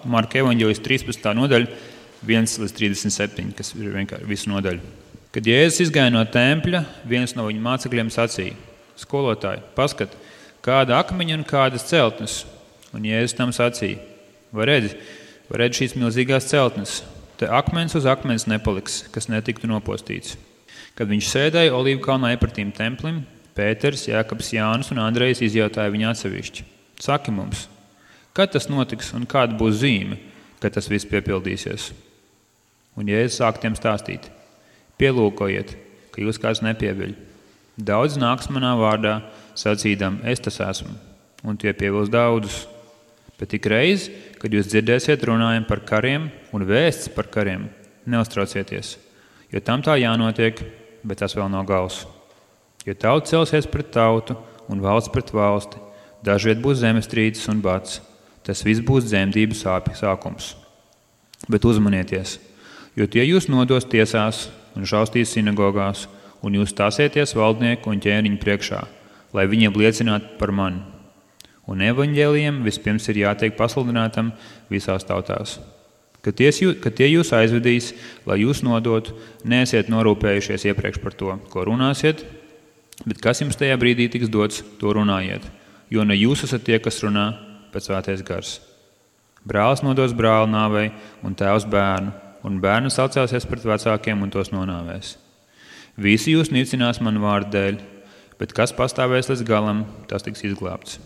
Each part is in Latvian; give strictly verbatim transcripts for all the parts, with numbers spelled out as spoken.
Marka evaņģēlijas trīspadsmitā nodaļa, viens līdz trīsdesmit septiņi, kas ir vienkārši visu nodaļu. Kad Jēzus izgāja no tempļa, viens no viņa mācekļiem sacīja: skolotāji, paskat, kāda akmeņa un kādas celtnes. Un Jēzus tam sacīja: vai redzi, vai redzi šīs milzīgās celtnes? Te akmens uz akmens nepaliks, kas netiktu nopostīts. Kad viņš sēdēja Olīvu kalnā iepratīm templim, Pēters, Jākabs, Jānis un Andrejs izjautāja viņu atsevišķi: saki mums, kad tas notiks un kāda būs zīme, kad tas viss piepildīsies? Un Jēzus sāk tiem stāstīt: pielūkojiet, ka jūs kāds nepieviļ. Daudz nāks manā vārdā, sacīdam, es tas esmu, un tie pievils daudzus. Bet tik reiz, kad jūs dzirdēsiet runājumu par kariem un vēsts par kariem, neuztraucieties, jo tam tā jānotiek, bet tas vēl nav gals. Jo tauta celsies pret tautu un valsts pret valsti, dažviet būs zemestrīces un bats, tas viss būs dzemdību sāpju sākums. Bet uzmanieties, jo tie jūs nodos tiesās un šaustīs sinagogās, un jūs stāsieties valdnieku un ķēniņu priekšā, lai viņiem liecinātu par mani. Un evaņģēlijam vispirms ir jātiek pasludinātam visās tautās. Kad tie, kad tie jūs aizvedīs, lai jūs nodotu, neesiet norūpējušies iepriekš par to, ko runāsiet, bet kas jums tajā brīdī tiks dots, to runājiet, jo ne jūs esat tie, kas runā, bet svētais gars. Brālis nodos brāli nāvei un tēvs bērnu, un bērns atcelsies pret vecākiem un tos nonāvēs. Visi jūs nicinās manu vārdu dēļ, bet kas pastāvēs līdz galam, tas tiks izglābts.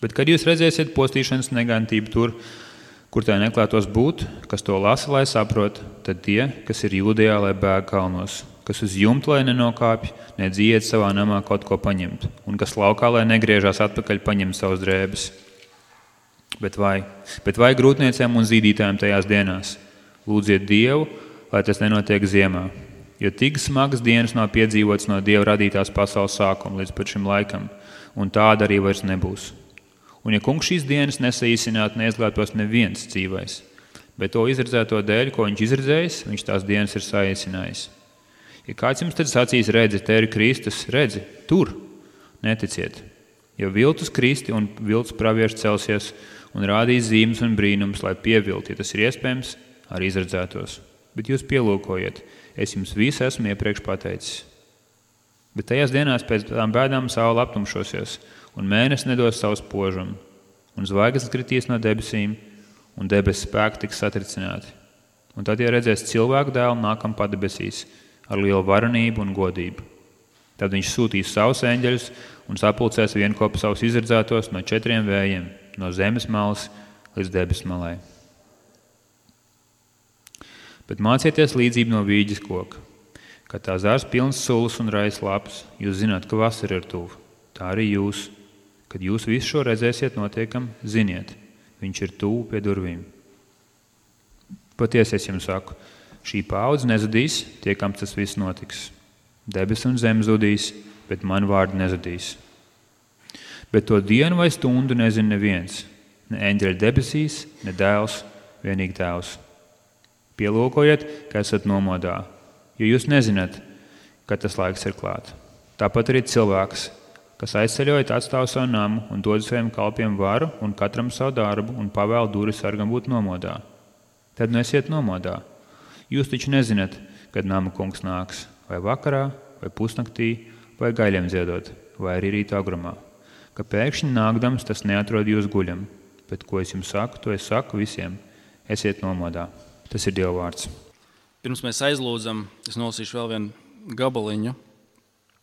Bet kad jūs redzēsiet postīšanas negantību tur, kur tā neklātos būt, kas to lasa, lai saprot, tad tie, kas ir Jūdejā, lai bēg kalnos, kas uz jumta, lai nenokāpj, nedz iet savā namā kaut ko paņemt, un kas laukā, lai negriežās atpakaļ paņemt savus drēbes. Bet vai, bet vai grūtniecēm un zīdītājiem tajās dienās? Lūdziet Dievu, lai tas nenotiek ziemā, jo tik smagas dienas nav piedzīvotas no Dieva radītās pasaules sākuma līdz pat šim laikam, un tāda arī vairs nebūs. Un ja kungs šīs dienas nesaīsinātu, neizglābtos neviens dzīvais, bet to izredzēto dēļ, ko viņš izredzējis, viņš tās dienas ir saīsinājis. Ja kāds jums tad sacīs, redzi, te ir Kristus, redzi, tur, neticiet, jo viltus Kristi un viltus pravieši celsies un rādīs zīmes un brīnums, lai pievilt, ja tas ir iespējams, arī izredzētos. Bet jūs pielūkojiet, es jums visu esmu iepriekš pateicis. Bet tajās dienās pēc tām bēdām saule aptumšosies, un mēnesis nedos savu spožumu, un zvaigznes kritīs no debesīm, un debesu spēki tiks satricināti. Un tad, ja redzēs cilvēku dēlu nākam padebesīs ar lielu varenību un godību, tad viņš sūtīs savus eņģeļus un sapulcēs vienkopu savus izredzētos no četriem vējiem, no zemes malas līdz debesu malai. Bet mācieties līdzību no vīģes koka. Kad tā zārs pilns sulas un rais lapas, jūs zināt, ka vasara ir tuvu. Tā arī jūs, kad jūs visu šo redzēsiet notiekam, ziniet, viņš ir tuvu pie durvīm. Patiesi es jums saku, šī paudze nezudīs, tiekams tas viss notiks. Debes un zeme zudīs, bet man vārdi nezudīs. Bet to dienu vai stundu nezina neviens, ne eņģeļi debesīs, ne dēls, vienīgi tēvs. Pielūkojiet, ka esat nomodā, jo jūs nezināt, kad tas laiks ir klāt. Tāpat arī cilvēks, kas aizceļojot atstāv savu namu un dod saviem kalpiem varu un katram savu darbu un pavēl duri sargam būt nomodā. Tad nesiet nomodā. Jūs taču nezināt, kad nama kungs nāks, vai vakarā, vai pusnaktī, vai gaļiem dziedot, vai arī rīta agrumā. Ka pēkšņi nākdams tas neatrod jūs guļam, bet ko es jums saku, to es saku visiem, esiet nomodā. Tas ir Dieva vārds. Pirms mēs aizlūdzam, es nolasīšu vēl vienu gabaliņu,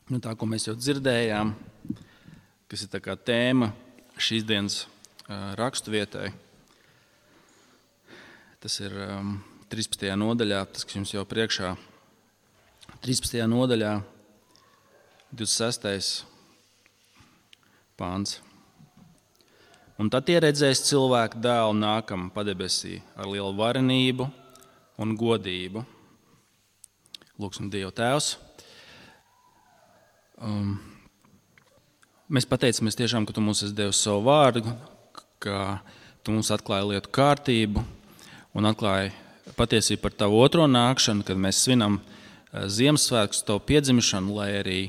no tā, ko mēs jau dzirdējām, kas ir tā kā tēma šīs dienas raksturvietai. Tas ir um, trīspadsmitajā nodaļā, tas, kas jums jau priekšā. trīspadsmitajā nodaļā, divdesmit sestais pāns. Un tad tie redzēs cilvēku dēlu nākam padebesī ar lielu varenību un godību. Lūksim Dievu Tēvs. Um, mēs pateicamies tiešām, ka Tu mums esi devis savu vārdu, ka Tu mums atklāji lietu kārtību un atklāji patiesību par Tavu otro nākšanu, kad mēs svinam Ziemassvētkus, Tavu piedzimšanu, lai arī,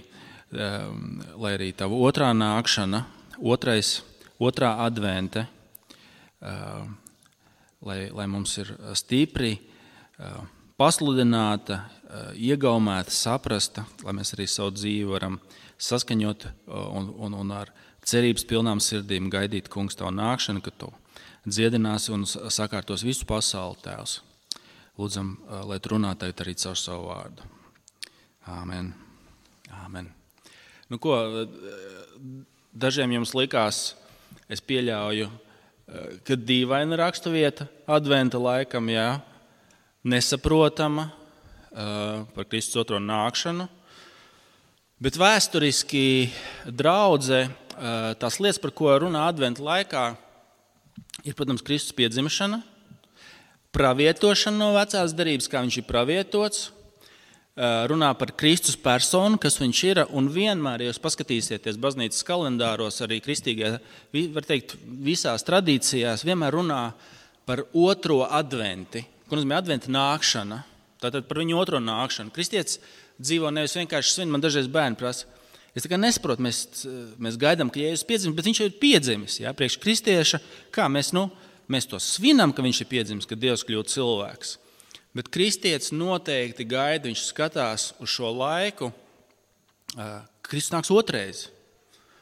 um, lai arī Tava otrā nākšana, otrais, otrā advente, uh, lai, lai mums ir stipri, pasludināta, iegaumēta, saprasta, lai mēs arī savu dzīvi varam saskaņot un, un, un ar cerības pilnām sirdīm gaidīt, kungs, tavu nākšanu, ka tu dziedināsi un sakārtos visu pasauli, Tēvs. Lūdzam, lai tu runā tagad arī caur savu vārdu. Āmen. Āmen. Nu ko, dažiem jums likās, es pieļauju, ka dīvaina raksturvieta adventa laikam, jā, nesaprotama par Kristus otro nākšanu, bet vēsturiski draudze, tās lietas, par ko runā adventa laikā, ir, protams, Kristus piedzimšana, pravietošana no vecās derības, kā viņš ir pravietots, runā par Kristus personu, kas viņš ir, un vienmēr, ja jūs paskatīsieties baznīcas kalendāros, arī kristīgajā, var teikt, visās tradīcijās, vienmēr runā par otro adventi, ko nozīmē adventa nākšana, tātad par viņu otro nākšanu. Kristietis dzīvo nevis vienkārši svin, man dažreiz bērni prasa, es tā kā nesaprotu, mēs, mēs gaidām, ka Jēzus piedzimis, bet viņš jau ir piedzimis, jā, priekš kristieša, kā mēs, nu, mēs to svinam, ka viņš ir piedzimis, ka Dievs kļūt cilvēks. Bet kristietis noteikti gaida, viņš skatās uz šo laiku, Kristus nāks otrais,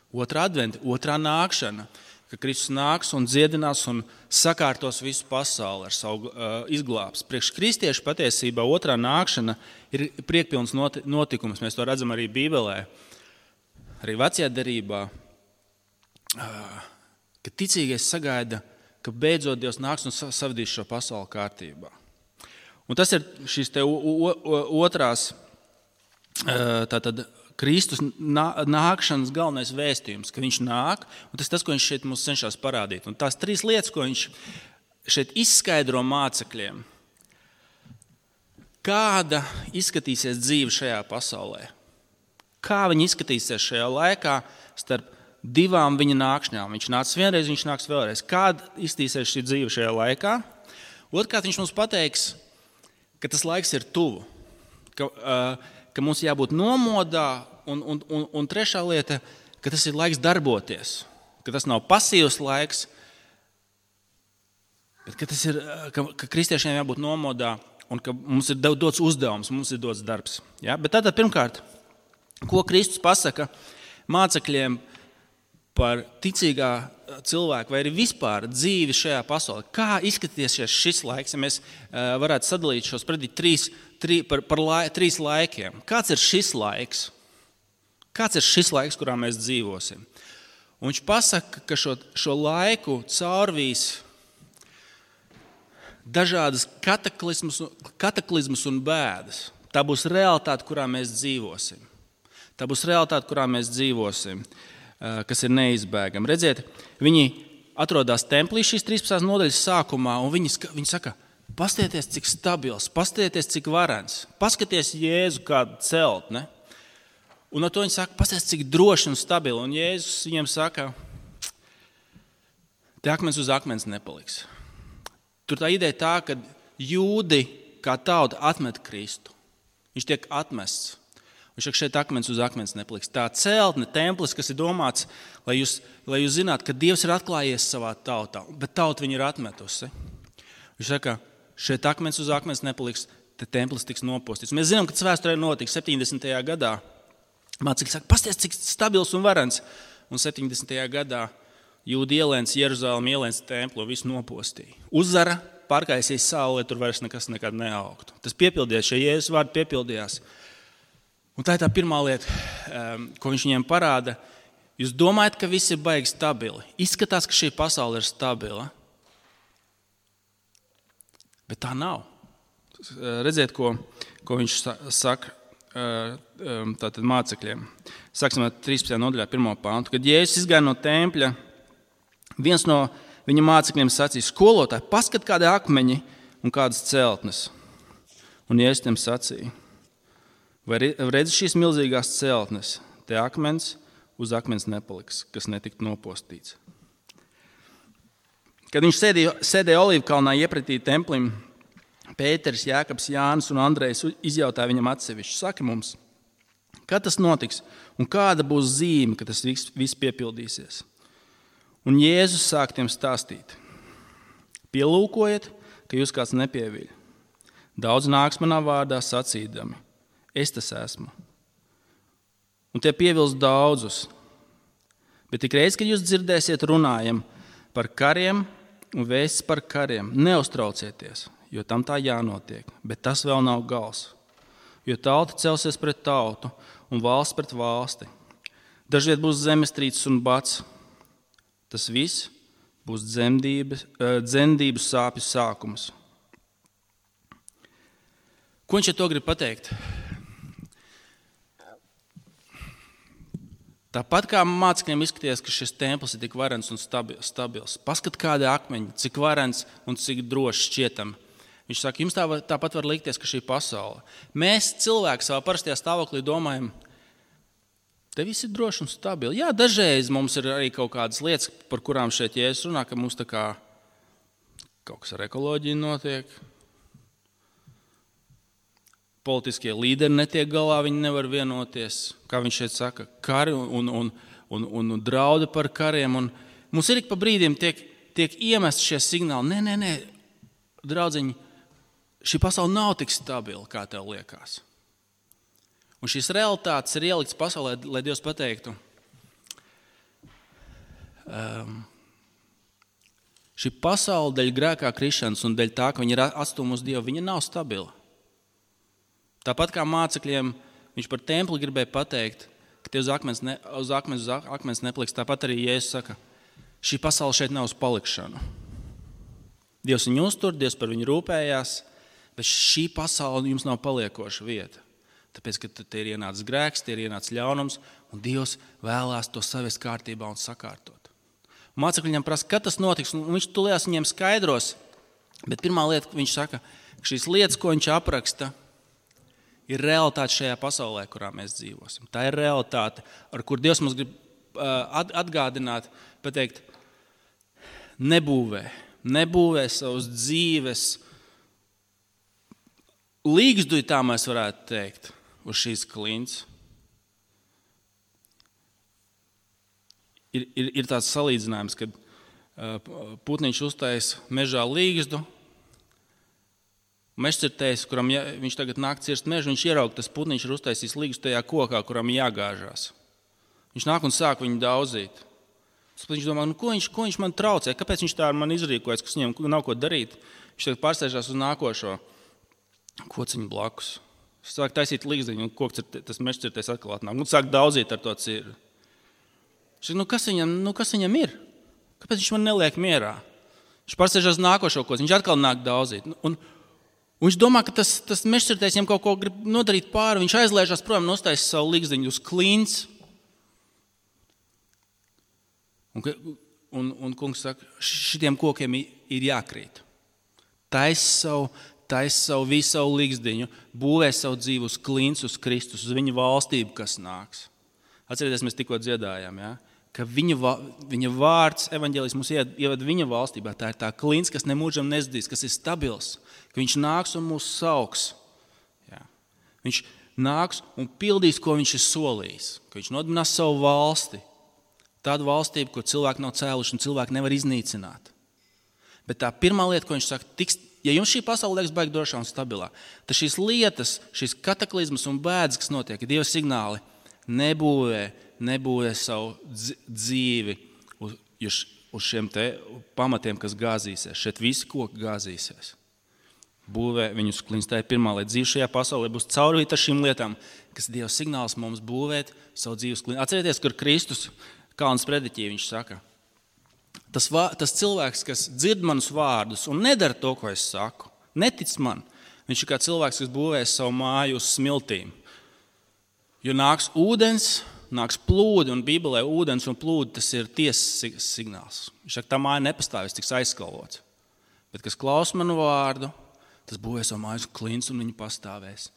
otrā adventa, otrā nākšana, ka Kristus nāks un dziedinās un sakārtos visu pasauli ar savu uh, izglābs. Priekš kristiešu patiesībā otrā nākšana ir priekpilns notikums, mēs to redzam arī Bībelē, arī vecajā derībā, uh, ka ticīgais sagaida, ka beidzot Dievs nāks un savadīs šo pasauli kārtībā. Un tas ir šīs te otrās, tātad Kristus nākšanas galvenais vēstījums, ka viņš nāk, un tas ir tas, ko viņš šeit mums cenšas parādīt. Un tās trīs lietas, ko viņš šeit izskaidro mācekļiem, kāda izskatīsies dzīve šajā pasaulē, kā viņi izskatīsies šajā laikā starp divām viņa nākšņām. Viņš nāks vienreiz, viņš nāks vēlreiz. Kāda izskatīsies šī dzīve šajā laikā? Otrkārt, viņš mums pateiks, ka tas laiks ir tuvu, ka, uh, ka mums jābūt nomodā, un, un, un, un trešā lieta, ka tas ir laiks darboties, ka tas nav pasīvs laiks, bet ka, tas ir, ka, ka kristiešiem jābūt nomodā un ka mums ir dots uzdevums, mums ir dots darbs. Ja? Bet tātad pirmkārt, ko Kristus pasaka mācekļiem par ticīgā cilvēku vai arī vispār dzīvi šajā pasaulē. Kā izskatīsies šis laiks, ja mēs varētu sadalīt šos predīt trīs, trī, par, par lai, trīs laikiem? Kāds ir šis laiks? Kāds ir šis laiks, kurā mēs dzīvosim? Un viņš pasaka, ka šo, šo laiku caurvīs dažādas kataklizmas, kataklizmas un bēdas. Tā būs realitāte, kurā mēs dzīvosim. Tā būs realitāte, kurā mēs dzīvosim, kas ir neizbēgama. Redziet, viņi atrodas templī šīs trīspadsmitās nodaļas sākumā, un viņi, viņi saka, pastieties, cik stabils, pastieties, cik varens, paskaties Jēzu kādu celtne. Un ar to viņi saka, pastieties, cik droši un stabili. Un Jēzus viņiem saka, te akmens uz akmens nepaliks. Tur tā ideja tā, ka jūdi kā tauta atmet Kristu. Viņš tiek atmests. Viņš saka, šeit akmens uz akmens nepaliks. Tā celtne, templis, kas ir domāts, lai jūs, lai jūs zinātu, ka Dievs ir atklājies savā tautā, bet tauta viņu ir atmetusi. Viņš saka, šeit akmens uz akmens nepaliks, te templis tiks nopostīts. Mēs zinām, ka tas vēsturē notika septiņdesmitajā gadā. Mācekļi saka, pasties, cik stabils un varens. Un septiņdesmitajā gadā jūdi ielēns Jeruzalem, ielēns templu, visu nopostīja. Uzzara, pārkaisīs sauli, lai tur vairs nekas nekad neaugtu. Tas piepildījās, šie Jēzus vārdi piepildījās. Un tā ir tā pirmā lieta, ko viņš viņiem parāda. Jūs domājat, ka viss ir baigi stabili. Izskatās, ka šī pasaule ir stabila. Bet tā nav. Redziet, ko, ko viņš saka tātad mācekļiem. Sāksim ar trīspadsmitajā nodaļā pirmo pāntu. Kad Jēzus izgāja no tempļa, viens no viņa mācekļiem sacīja, skolotāji, paskat kādi akmeņi un kādas celtnes. Un Jēzus tiem sacīja, vai redzi šīs milzīgās celtnes, te akmens uz akmens nepaliks, kas netikt nopostīts. Kad viņš sēdēja, sēdēja Olīvkalnā iepratī templim, Pēteris, Jākabs, Jānis un Andrejs izjautāja viņam atsevišķi, saki mums, kad tas notiks un kāda būs zīme, ka tas viss, viss piepildīsies. Un Jēzus sāk tiem stāstīt. Pielūkojiet, ka jūs kāds nepieviļ. Daudz nāks manā vārdā sacīdami. Es tas esmu. Un tie pievils daudzus. Bet tik reiz, kad jūs dzirdēsiet runājam par kariem un vēsts par kariem, neuztraucieties, jo tam tā jānotiek. Bet tas vēl nav gals. Jo tauta celsies pret tautu un valsts pret valsti. Dažviet būs zemestrīces un bats. Tas viss būs dzemdības sāpju sākums. Ko viņš ar to grib pateikt? Tāpat kā mācekļiem izskatījās, ka šis templis ir tik varens un stabils. Paskat, kādi akmeņi, cik varens un cik droši šķietam. Viņš saka, jums tā, tāpat var likties, ka šī pasaule. Mēs cilvēki savā parastajā stāvoklī domājam, te viss ir droši un stabili. Jā, dažreiz mums ir arī kaut kādas lietas, par kurām šeit Jēzus runā, ka mums tā kā kaut kas ar ekoloģiju notiek. Politiskie līderi netiek galā, viņi nevar vienoties, kā viņš šeit saka, kari un, un, un, un, un draudi par kariem. Un mums ir ik pa brīdiem tiek, tiek iemest šie signāli. Nē, nē, nē, draudziņi, šī pasaule nav tik stabila, kā tev liekas. Un šīs realitātes ir ieliktas pasaulē, lai Dievs pateiktu, um, šī pasaule dēļ grēkā krišanas un dēļ tā, ka viņi ir atstūmi uz Dievu, viņa nav stabila. Tāpat kā mācekļiem viņš par templi gribēja pateikt, ka tie uz akmens, ne, uz akmens, uz akmens nepliks, tāpat arī Jēzus saka, šī pasaule šeit nav uz palikšanu. Dievs viņu uztur, Dievs par viņu rūpējās, bet šī pasaule jums nav paliekoša vieta. Tāpēc, ka te ir ienācis grēks, te ir ienācis ļaunums, un Dievs vēlās to savest kārtībā un sakārtot. Un mācekļi viņam prasa, kad tas notiks, un viņš tulējās viņiem skaidros, bet pirmā lieta, viņš saka, ka šīs lietas, ko viņš apraksta, ir realitāte šajā pasaulē, kurā mēs dzīvosim. Tā ir realitāte, ar kur Dievs mums grib atgādināt, pateikt, nebūvē, nebūvē savas dzīves līgzduji, tā mēs varētu teikt, uz šīs klints. Ir, ir, ir tāds salīdzinājums, kad putniņš uztais mežā līgzdu, mežcirtējs, kuram jā, viņš tagad nāk cirst mežu, viņš ieraug, tas putniņš ir uztaisījis līgstu tajā kokā, kuram jāgāžās. Viņš nāk un sāk viņu daudzīt. Viņš domā, nu, ko, viņš, ko viņš man traucē, kāpēc viņš tā ar mani izrīkojas, kas viņam nav ko darīt. Viņš tagad pārsēžās uz nākošo kociņu blakus. Viņš sāk taisīt līgzdiņu, un koks ir tas mežcirtējs atkal atnāk. Un sāk daudzīt ar to cirvi. Viņš saka, nu, kas viņam, nu, kas viņam ir? Kāpēc viņš man neliek mierā? Viņš pārsēžās uz nākošo kociņu, viņš atkal nāk daudzīt. Un, Un viņš domā, ka tas, tas mežcirtējs viņam kaut ko grib nodarīt pāri. Viņš aizlēžās prom, nostājas savu līgzdiņu uz klints. Un, un, un kungs saka, šitiem kokiem ir jākrīt. Tais savu, tais savu visu savu līgzdiņu, būvē savu dzīvi uz klints, uz Kristus, uz viņa valstību, kas nāks. Atcerieties, mēs tikko dziedājām, ja? Ka viņa, viņa vārds, evaņģēlijs mums ievada viņa valstībā. Tā ir tā klints, kas nemūžam nezdīs, kas ir stabils, ka viņš nāks un mūs sauks. Jā. Viņš nāks un pildīs, ko viņš ir solījis, ka viņš nodibinās savu valsti. Tādu valstību, ko cilvēki nav cēluši un cilvēki nevar iznīcināt. Bet tā pirmā lieta, ko viņš saka, tiks, ja jums šī pasaule liekas baigi drošā un stabilā, tad šīs lietas, šīs kataklizmas un bēdas, kas notiek, ir Dieva signāli, nebūvē, nebūvē savu dzīvi uz, uz šiem te pamatiem, kas gāzīsies. Šeit visi koki gāzīsies. Būvē viņus klints. Tā ir pirmā lieta. Dzīve šajā pasaulē būs caurvīta ar šīm lietām, kas Dieva signāls mums būvēt savu dzīves klints. Atcerieties, kur Kristus Kalnas prediķī viņš saka, tas, vā, tas cilvēks, kas dzird manus vārdus un nedara to, ko es saku, netic man. Viņš ir kā cilvēks, kas būvēs savu māju uz smiltīm. Jo nāks ūdens, nāks plūdi, un Bībelē ūdens un plūdi, tas ir tiesas signāls. Viņš saka, tā māja nepastāvēs, tiks aizskalvots. Bet, kas klaus manu vārdu, tas būvēs savu mājas klints un viņi pastāvēs.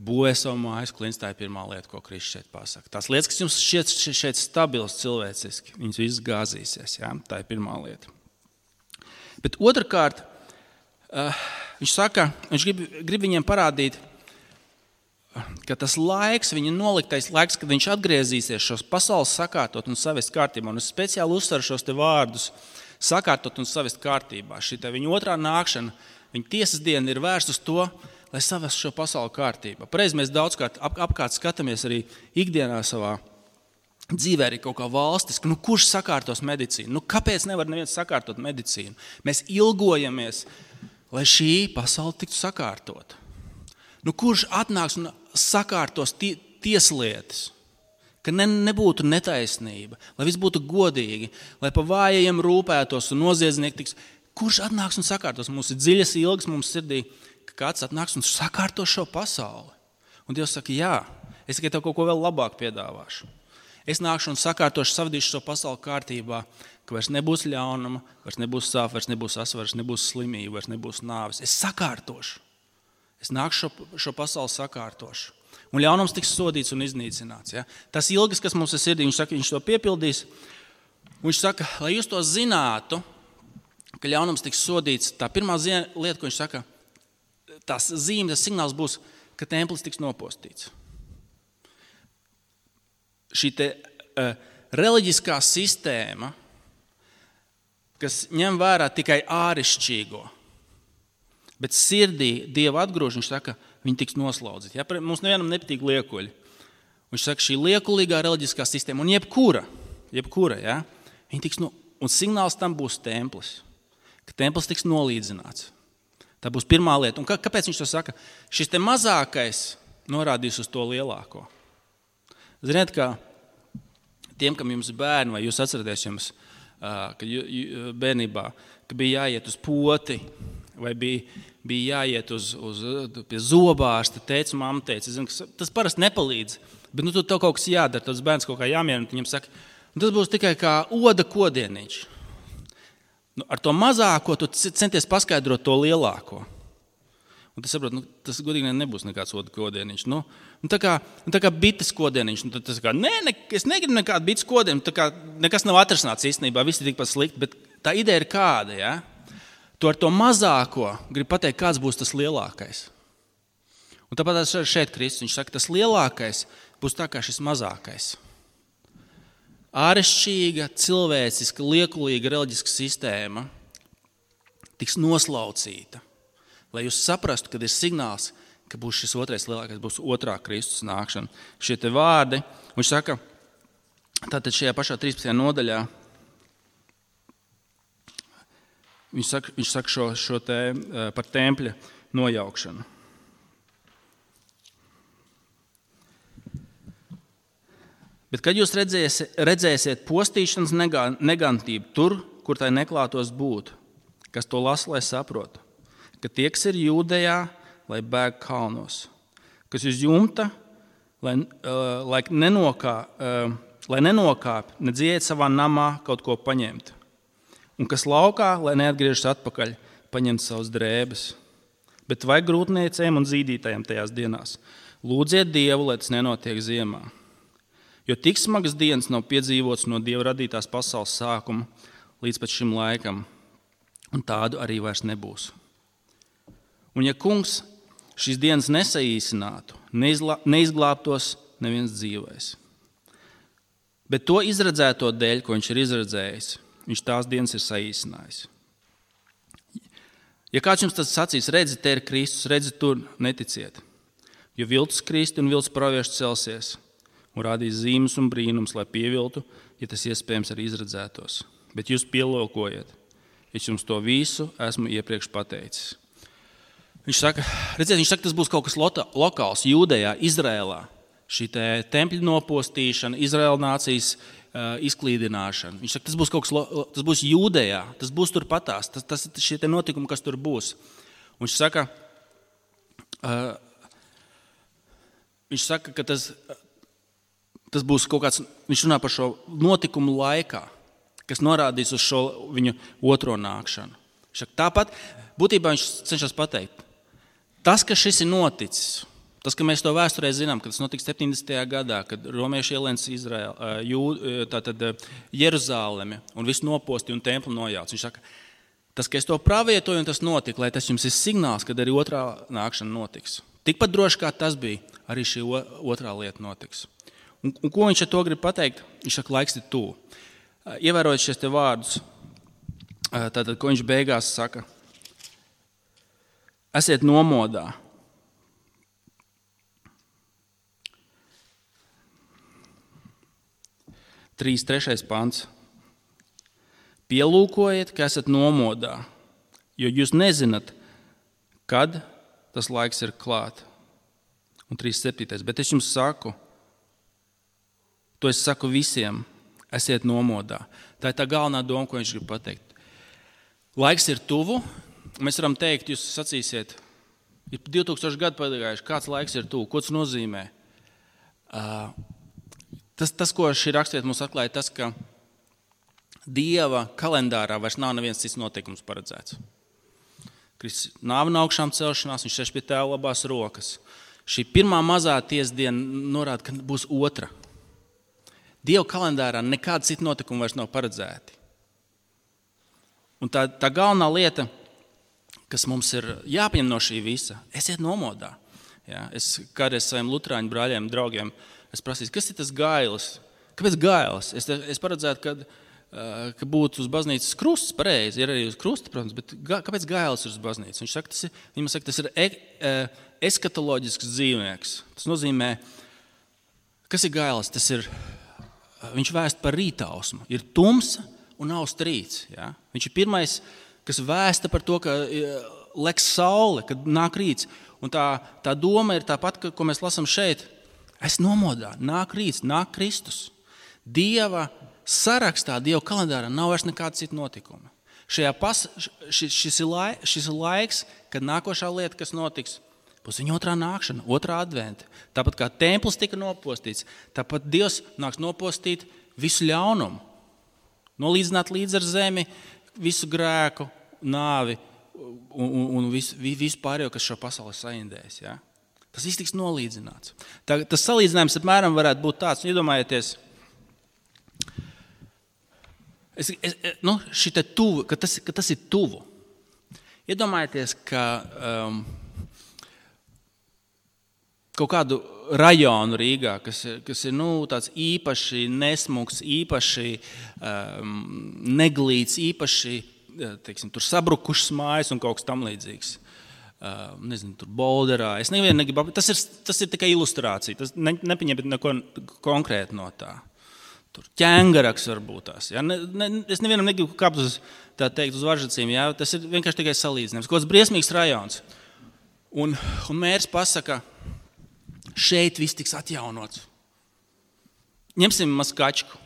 Būvēs savu mājas klints, tā ir pirmā lieta, ko Kristus šeit pasaka. Tās lietas, kas jums šeit, šeit stabils cilvēciski, viņas visas gāzīsies. Jā? Tā ir pirmā lieta. Bet otrkārt, uh, viņš saka, viņš grib, grib viņiem parādīt, ka tas laiks, viņa noliktais laiks, kad viņš atgriezīsies šos pasaules sakārtot un savest kārtībā. Un es speciāli uzsveru šos te vārdus sakārtot un savest kārtībā. Šī viņa otrā nākšana, viņa tiesas diena ir vērsta uz to, lai savestu šo pasauli kārtībā. Pareizi mēs daudzkārt ap, apkārt skatāmies arī ikdienā savā dzīvē arī kaut kā valstiski. Nu, kurš sakārtos medicīnu? Nu, kāpēc nevar neviens sakārtot medicīnu? Mēs ilgojamies, lai šī pasaule tiktu sakārtot. Nu, kurš atnāks un sakārtos tie, tieslietas? Ka ne, nebūtu netaisnība, lai viss būtu godīgi, lai pa vājajiem rūpētos un noziedznieki tiks. Kurš atnāks un sakārtos? Mums ir dziļas ilgas mums sirdī, ka kāds atnāks un sakārtos šo pasauli. Un Dievs saka, jā, es tikai tev kaut ko vēl labāk piedāvāšu. Es nākšu un sakārtošu, savadīšu šo pasauli kārtībā, ka vairs nebūs ļaunuma, vairs nebūs sāp, vairs nebūs asars, vairs nebūs slimība, vairs nebūs nāves. Es sakārtošu. Es nākšu šo, šo pasauli sakārtošu. Un ļaunums tiks sodīts un iznīcināts. Ja? Tas ilgas, kas mums ir sirdī, viņš saka, viņš to piepildīs. Viņš saka, lai jūs to zinātu, ka ļaunums tiks sodīts. Tā pirmā lieta, ko viņš saka, tās zīme, tas signāls būs, ka templis tiks nopostīts. Šī te uh, reliģiskā sistēma, kas ņem vērā tikai ārišķīgo, bet sirdī Dieva atgrūž, viņš saka, viņi tiks noslaudzīti. Ja? Mums nevienam nepatīk liekuļi. Viņš saka, šī liekulīgā reliģiskā sistēma, un jebkura, jebkura ja? Viņi tiks no, un signāls tam būs templis, ka templis tiks nolīdzināts. Tā būs pirmā lieta. Un kā, kāpēc viņš to saka? Šis te mazākais norādīs uz to lielāko. Ziniet, kā tiem, kam jums ir bērni, vai jūs atceraties jums, ka bērnībā, ka bija jāiet uz poti, vai bija, bija jāiet uz, uz pie zobārsta, teica, mamma teica, zinu, tas parasti nepalīdz, bet nu, tu tev kaut kas jādara, tas bērns kaut kā jāmierina, viņam saka, tas būs tikai kā oda kodieniņš. Nu, ar to mazāko tu centies paskaidrot to lielāko. Un tas, saprot, nu, tas godīgi nebūs nekāds oda kodieniņš. Nu, nu, tā kā, nu, tā kā bites kodieniņš. Nu, tas kā, nē, ne, es negribu nekādu bites kodienu. Tā kā nekas nav atrasināts īstenībā, viss ir tikpat slikti, bet tā ideja ir kāda, ja? Tu ar to mazāko gribi pateikt, kāds būs tas lielākais. Un tāpat šeit Kristus, viņš saka, tas lielākais būs tā kā šis mazākais. Ārešķīga, cilvēciska, liekulīga reliģiska sistēma tiks noslaucīta. Lai jūs saprastu, kad ir signāls, ka būs šis otrais lielākais, būs otrā Kristus nākšana. Šie te vārdi, viņš saka, tātad šajā pašā trīspadsmitajā nodaļā, viņš saka, viņš saka šo, šo te par tempļa nojaukšanu. Bet kad jūs redzēsiet, redzēsiet postīšanas negantību tur, kur tai neklātos būt, kas to lasa, lai saprotu, ka tie, kas ir Jūdejā, lai bēg kalnos, kas uz jumta, lai, uh, lai, nenokā, uh, lai nenokāp, nedziet savā namā kaut ko paņemt, un kas laukā, lai neatgriežas atpakaļ, paņemt savus drēbes. Bet vai grūtniecēm un zīdītājiem tajās dienās? Lūdziet Dievu, lai tas nenotiek ziemā. Jo tik smagas dienas nav piedzīvots no Dieva radītās pasaules sākuma līdz pat šim laikam, un tādu arī vairs nebūs. Un ja kungs šīs dienas nesaīsinātu, neizla, neizglābtos neviens dzīvais. Bet to izredzēto dēļ, ko viņš ir izredzējis, viņš tās dienas ir saīsinājis. Ja kāds jums tad sacīs, redzi, te ir Kristus, redzi, tur neticiet, jo viltus Kristi un viltus pravieši celsies, un rādīs zīmes un brīnums, lai pieviltu, ja tas iespējams arī izredzētos. Bet jūs pielūkojiet, es jums to visu esmu iepriekš pateicis. Viņš saka, redziet, viņš saka, tas būs kaut kas lokāls, Jūdejā, Izrēlā. Šī te tempļa nopostīšana, Izraēla nācijas uh, izklīdināšana. Viņš saka, tas būs kaut kas, tas būs Jūdejā, tas būs tur patās, tas, tas šie te notikumi, kas tur būs. Un viņš saka, uh, viņš saka, ka tas... Tas būs kaut kāds, viņš runā par šo notikumu laikā, kas norādīs uz šo viņu otro nākšanu. Tāpat būtībā viņš cenšas pateikt, tas, ka šis ir noticis, tas, ka mēs to vēsturē zinām, ka tas notiks septiņdesmitajā gadā, kad romieši ielēns Izraēlu, tātad Jeruzālemi un visu noposti un templi nojauc. Viņš saka, tas, ka es to pravietoju un tas notika, lai tas jums ir signāls, kad arī otrā nākšana notiks. Tikpat droši kā tas bija, arī šī otrā lieta notiks. Un, un ko viņš ar to grib pateikt? Viņš saka, laiks ir tuvu. Ievērojot šies te vārdus, Tātad, ko viņš beigās saka? Esiet nomodā. Trīs, trešais pants. Pielūkojiet, ka esat nomodā, jo jūs nezināt, kad tas laiks ir klāt. Un trīs, septītais. Bet es jums saku, to es saku visiem, esiet nomodā. Tā ir tā galvenā doma, ko viņš grib pateikt. Laiks ir tuvu. Mēs varam teikt, jūs sacīsiet, ir divi tūkstoši gadi pagājuši, kāds laiks ir tuvu, ko tas nozīmē? Uh, tas, tas, ko šī rakstvieta mums atklāja, tas, ka Dieva kalendārā vairs nav neviens cits notikums paredzēts. Kristus nāve un augšām celšanās, viņš sēž pie tēva labās rokas. Šī pirmā mazā tiesdiena norāda, ka būs otra. Dieva kalendārā nekāda cita notikuma vairs nav paredzēti. Un tā, tā galvenā lieta, kas mums ir jāpieņem no šī visa, esiet nomodā. Ja, es kādreiz saviem luterāņu brāļiem, draugiem, es prasīju, kas ir tas gailis? Kāpēc gailis? Es, es paredzētu, ka, ka būtu uz baznīcas krusts, pareizi, ir arī uz krusta, protams, bet ga, kāpēc gailis ir uz baznīcas? Viņš saka, tas ir, viņam saka, tas ir e, eskatoloģisks dzīvnieks. Tas nozīmē, kas ir gailis? Tas ir, viņš vēst par rītausmu. Ir tumsa un aust rīts. Ja? Viņš ir pirmais, kas vēsta par to, ka leks saule, kad nāk rīts. Un tā, tā doma ir tāpat, ko mēs lasām šeit. Es nomodā, nāk rīts, nāk Kristus. Dieva sarakstā, Dieva kalendārā nav vairs nekāda cita notikuma. Šajā pas, šis, šis, ir lai, šis ir laiks, kad nākošā lieta, kas notiks, būs viņa otrā nākšana, otrā adventa. Tāpat kā templis tika nopostīts, tāpat Dievs nāks nopostīt visu ļaunumu. Nolīdzināt līdz ar zemi visu grēku, nāvi un, un, un visu, visu pārējo, kas šo pasauli saindēs. Ja? Tas viss tiks nolīdzināts. Tā, tas salīdzinājums apmēram varētu būt tāds, iedomājieties, es, es, nu, šite tuvu, ka, tas, ka tas ir tuvu. Iedomājieties, ka um, kaut kādu rajonu Rīgā, kas ir, kas ir nu, tāds īpaši nesmuks, īpaši um, neglīts, īpaši teiksim, tur sabrukušas mājas un kaut kas tam līdzīgs. Uh, nezinu, tur Bolderā. Es nevienu negribu, tas ir, tas ir tikai ilustrācija. Tas ne, nepaņemt neko konkrēti no tā. Tur ķēngaraks varbūt tās. Ja? Ne, ne, es nevienam negribu kāpt uz, tā teikt, uz varžacīm. Ja? Tas ir vienkārši tikai salīdzinājums. Kaut kāds briesmīgs rajons. Un, un mērs pasaka, šeit viss tiks atjaunots. Ņemsim Maskačku.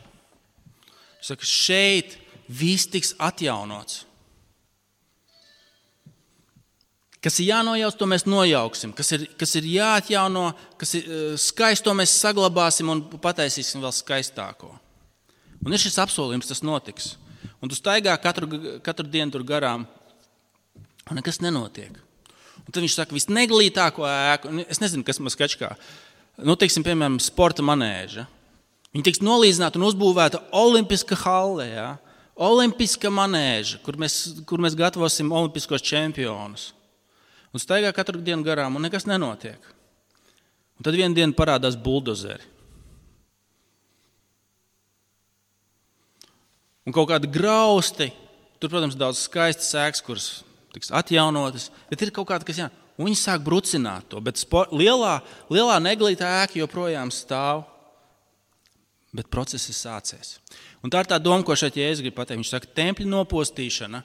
Viņš saka, šeit viss tiks atjaunots. Kas ir jānojaus, to mēs nojauksim. Kas ir, kas ir jāatjauno, kas ir skaists, to mēs saglabāsim un pataisīsim vēl skaistāko. Un ir šis apsolījums, tas notiks. Un tu staigā katru, katru dienu tur garām, un nekas nenotiek. Un tad viņš saka, visneglītāko ēku, es nezinu, kas Maskačkā, nu, teiksim, piemēram, sporta manēža. Viņa tiks nolīdzināta un uzbūvēta olimpiska halle, ja? Olimpiska manēža, kur mēs, kur mēs gatavosim olimpiskos čempionus. Un staigā katru dienu garām, un nekas nenotiek. Un tad vienu dienu parādās buldozeri. Un kaut kādi grausti, tur, protams, daudz skaistas ēkas, kuras tiks atjaunotas, bet ir kaut kāda, kas jā, un viņi sāk brucināt to, bet spor, lielā, lielā neglītā ēka joprojām stāv, bet process ir sācies. Un tā ir tā doma, ko šeit Jēzus grib pateikt. Viņš saka, tempļa nopostīšana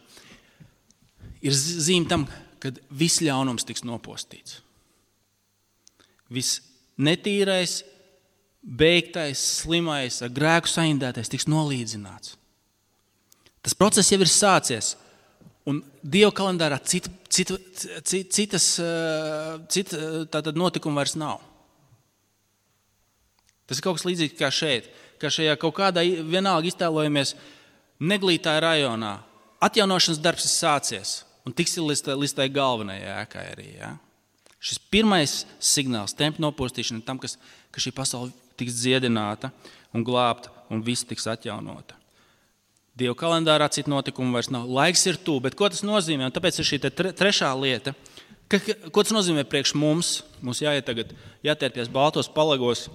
ir zīme tam, kad viss ļaunums tiks nopostīts. Viss netīrais, beigtais, slimais, ar grēku saindētais tiks nolīdzināts. Tas process jau ir sācies, un Dieva kalendārā cita, cita, citas cita, tātad notikuma vairs nav. Tas ir kaut kas līdzīgs kā šeit, kā šajā kaut kādā vienalga iztēlojamies neglītā rajonā. Atjaunošanas darbs ir sācies. Un tiks līdz, līdz tai galvenajai ēkai arī. Ja? Šis pirmais signāls, tempļa nopostīšana, tam, kas, ka šī pasaule tiks dziedināta un glābta un viss tiks atjaunota. Dieva kalendārā citu notikumu vairs nav. Laiks ir tuvu, bet ko tas nozīmē? Un tāpēc ir šī tre, trešā lieta. Ka, ko tas nozīmē priekš mums? Mums jāiet tagad, jātērpjas baltos palagos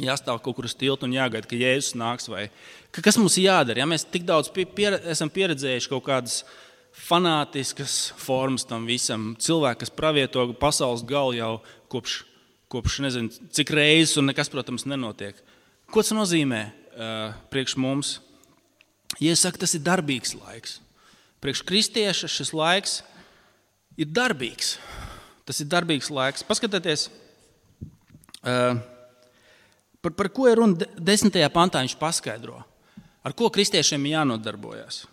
jāstāv kaut kur uz tilta un jāgaida, ka Jēzus nāks. Vai, ka kas mums ir jādara? Ja mēs tik daudz pier, esam pieredzējuši kaut kādas fanātiskas formas tam visam, cilvēki, kas pravieto pasaules galu jau kopš, kopš nezinu, cik reizes un nekas, protams, nenotiek. Ko tas nozīmē uh, priekš mums? Ja es saku, tas ir darbīgs laiks. Priekš kristieša šis laiks ir darbīgs. Tas ir darbīgs laiks. Paskatieties, uh, par, par ko ir runa desmitajā pantā viņš paskaidro. Ar ko kristiešiem ir jānodarbojas?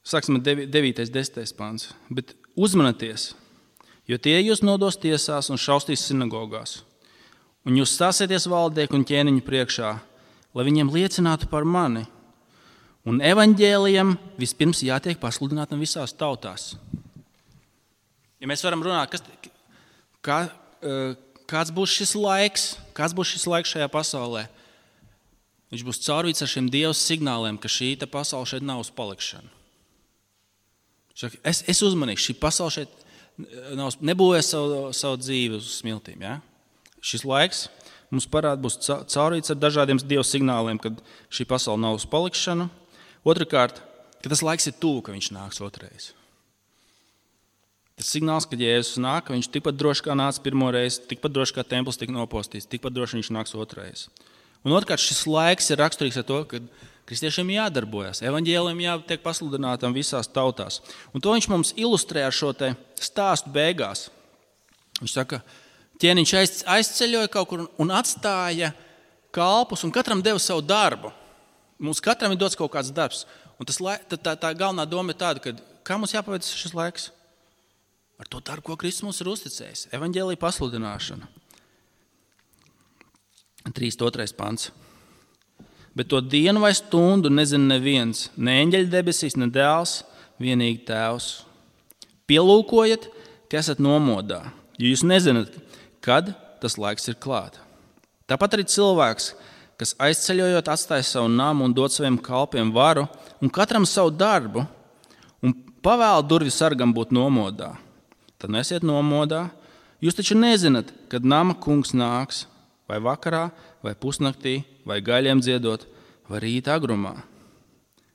Sāksim ar devītais, desmitais pants. Bet uzmanieties, jo tie jūs nodos tiesās un šaustīs sinagogās. Un jūs stāsieties valdnieku un ķēniņu priekšā, lai viņiem liecinātu par mani. Un evaņģēlijam vispirms jātiek pasludinātam visās tautās. Ja mēs varam runāt, kas, kā, kāds būs šis laiks, kāds būs šis laiks šajā pasaulē, viņš būs caurvīts ar šiem Dieva signāliem, ka šī pasaule šeit nav uz palikšanu. Es, es uzmanīšu, šī pasaule šeit nav, nebūvēs savu, savu dzīvi uz smiltīm. Ja? Šis laiks mums parāda būs caurvīts ar dažādiem Dieva signāliem, kad šī pasaule nav uz palikšanu. Otrakārt, ka tas laiks ir tuvu, ka viņš nāks otrais. Tas signāls, ka Jēzus nāk, ka viņš tikpat droši kā nāca pirmo reizi, tikpat droši kā templis tika nopostīts, tikpat droši viņš nāks otrais. Un otrkārt, šis laiks ir raksturīgs ar to, ka kristiešiem jādarbojas, evaņģēlijam jātiek pasludinātam visās tautās. Un to viņš mums ilustrē ar šo te stāstu beigās. Viņš saka, ķēniņš aizceļoja kaut kur un atstāja kalpus un katram deva savu darbu. Mums katram ir dots kaut kāds darbs. Un tas, tā, tā, tā galvenā doma ir tāda, ka kā mums jāpaveic šis laiks? Ar to darbu, ko Kristus mums ir uzticējis. Evaņģēlija pasludināšana. trīsdesmit otrais pants. Bet to dienu vai stundu nezina neviens, ne eņģeļi debesīs, ne dēls, vienīgi tēvs. Pielūkojiet, ka esat nomodā, jo jūs nezināt, kad tas laiks ir klāt. Tāpat arī cilvēks, kas aizceļojot atstāja savu namu un dod saviem kalpiem varu un katram savu darbu un pavēl durvju sargam būt nomodā. Tad nesiet nomodā. Jūs taču nezināt, kad nama kungs nāks, vai vakarā, vai pusnaktī, vai gaļiem dziedot, vai rīta agrumā.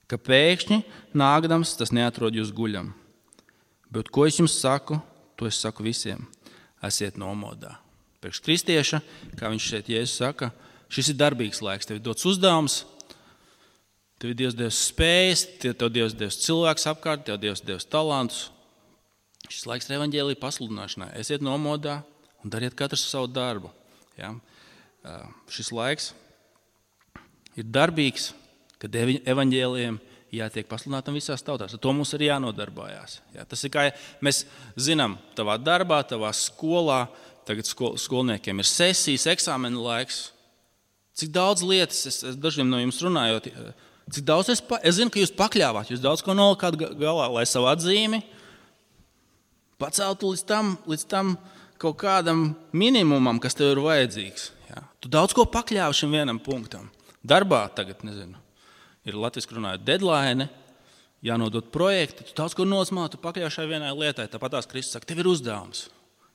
Ka pēkšņi nākdams tas neatrod jūs guļam. Bet ko es jums saku, to es saku visiem. Esiet nomodā. Priekš kristieša, kā viņš šeit Jēzus saka, šis ir darbīgs laiks. Tev ir dots uzdevums, tev ir Dievs devis spējas, tev Dievs devis cilvēks apkārt, tev Dievs devis talantus. Šis laiks ir evaņģēlija pasludināšanai. Esiet nomodā un dariet katrs savu darbu. Ja? Šis laiks ir darbīgs, kad evaņģēlijiem jātiek pasludinātam visās tautās. Ar to mums ir jānodarbājās. Ja? Tas ir kā mēs zinām tavā darbā, tavā skolā, tagad skol, skolniekiem ir sesijas, eksāmena laiks. Cik daudz lietas, es, es dažiem no jums runājot, cik daudz es, pa, es zinu, ka jūs pakļāvāt, jūs daudz ko nolikāt galā, lai savu atzīmi paceltu līdz tam, līdz tam kaut kādam minimumam, kas tev ir vajadzīgs. Ja? Tu daudz ko pakļāvi šim vienam punktam. Darbā tagad, nezinu, ir latviski runājot deadline, jānodot projekti, tu daudz ko nosmā, tu pakļāvi šai vienai lietai. Tāpat tās Kristus saka, tev ir uzdevums.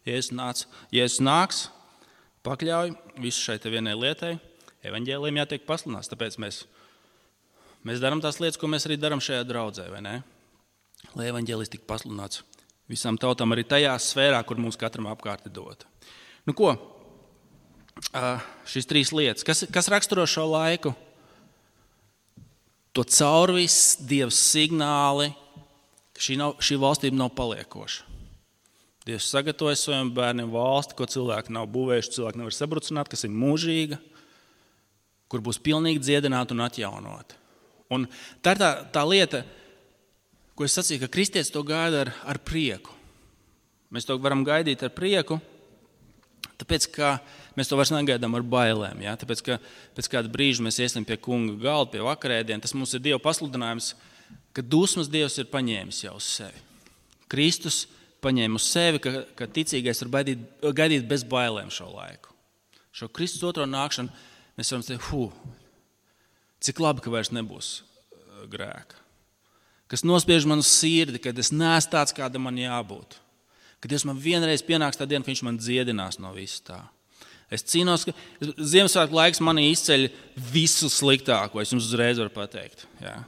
Jēzus nāc, Jēzus nāks, pakļauj visu šai te vienai lietai. Evaņģēlijam jātiek pasludināts, tāpēc mēs, mēs darām tās lietas, ko mēs arī darām šajā draudzē, vai ne? Lai evaņģēlijs tik pasludināts visām tautām, arī tajā sfērā, kur mums katram apkārt ir dota. Nu ko, šīs trīs lietas, kas, kas raksturo šo laiku? To caurvis Dieva signāli, ka šī, nav, šī valstība nav paliekoša. Dievs sagatavoja saviem bērniem valsti, ko cilvēki nav būvējuši, cilvēki nevar sabrucināt, kas ir mūžīga, kur būs pilnīgi dziedināta un atjaunota. Un tā ir tā, tā lieta, ko es sacīju, ka kristietis to gaida ar, ar prieku. Mēs to varam gaidīt ar prieku, tāpēc, ka mēs to vairs negaidām ar bailēm. Ja? Tāpēc, ka pēc kāda brīža mēs iesim pie kunga galda, pie vakarēdien, tas mums ir Dieva pasludinājums, ka dusmas Dievs ir paņēmis jau uz sevi. Kristus paņēma uz sevi, ka, ka ticīgais var gaidīt, gaidīt bez bailēm šo laiku. Šo Kristus otro nākšanu mēs varam teikt, hu, cik labi, ka vairs nebūs grēka. kas nospiež manu sirdi, kad es neesmu tāds, kāda man jābūt. Kad Dievs man vienreiz pienāks tā diena, ka viņš man dziedinās no visu tā. Es cīnos, ka Ziemassvētku laiks manī izceļ visu sliktāko, es jums uzreiz varu pateikt. Jā.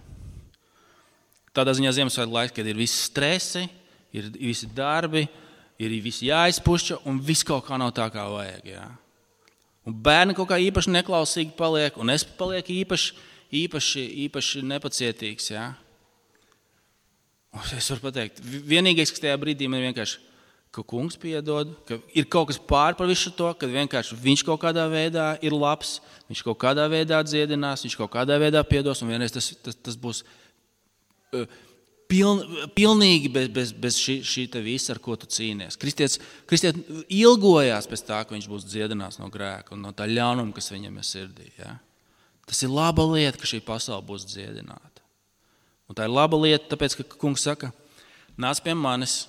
Tādā ziņā Ziemassvētku laiks, kad ir visi stresi, ir visi darbi, ir visi jāizpušķa un viss kaut kā nav tā, kā vajag. Jā. Un bērni kaut kā īpaši neklausīgi paliek, un es palieku īpaši, īpaši, īpaši nepacietīgs. Jā. Un es varu pateikt, vienīgais, kas tajā brīdī man vienkārši, ka kungs piedod, ka ir kaut kas pār par visu to, ka vienkārši viņš kaut kādā veidā ir labs, viņš kaut kādā veidā dziedinās, viņš kaut kādā veidā piedos, un vienreiz tas, tas, tas būs uh, piln, pilnīgi bez, bez, bez šī, šī te visa, ar ko tu cīnies. Kristietis, kristietis ilgojās pēc tā, ka viņš būs dziedinās no grēka un no tā ļaunuma, kas viņam ir sirdī. Ja? Tas ir laba lieta, ka šī pasaule būs dziedināta. Un tā ir laba lieta, tāpēc, ka kungs saka, nāc pie manis.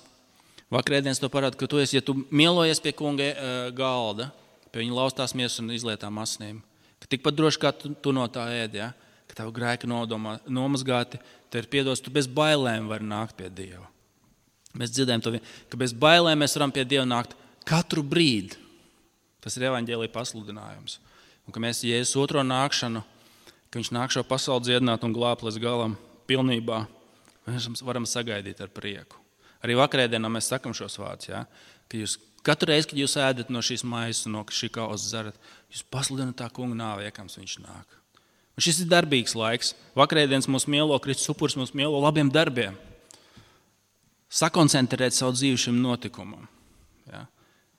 Vakarēdienas to parāda, ka tu esi, ja tu mielojies pie kunga galda, pie viņa laustās miesas un izlietām asnīm, ka tikpat droši kā tu, tu no tā ēdi, ja? Ka tavu grēku nodomā, nomazgāti, te ir piedos, tu bez bailēm vari nākt pie Dieva. Mēs dzirdējam to, ka bez bailēm mēs varam pie Dieva nākt katru brīdi. Tas ir evaņģēlija pasludinājums. Un ka mēs Jēzus otro nākšanu, ka viņš nāk šo pasauli dziedināt un glābt līdz galam pilnībā, mēs varam sagaidīt ar prieku. Arī vakarēdienā mēs sakam šos vārdus, ja? Ka jūs katru reizi, kad jūs ēdat no šīs maizes un no šī kausa dzerat, jūs pasludināt tā kunga nāvi, iekams viņš nāk. Un šis ir darbīgs laiks. Vakarēdienas mūs mielo, Kristus upuris mūs mielo labiem darbiem. Sakoncentrēt savu dzīvi šim notikumam. Ja?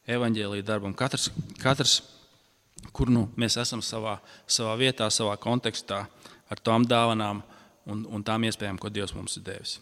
Evaņģēlija darbam. Katrs, katrs kur nu mēs esam savā, savā vietā, savā kontekstā ar tām dāvanām un, un tām iespējām, ko Dievs mums ir devis.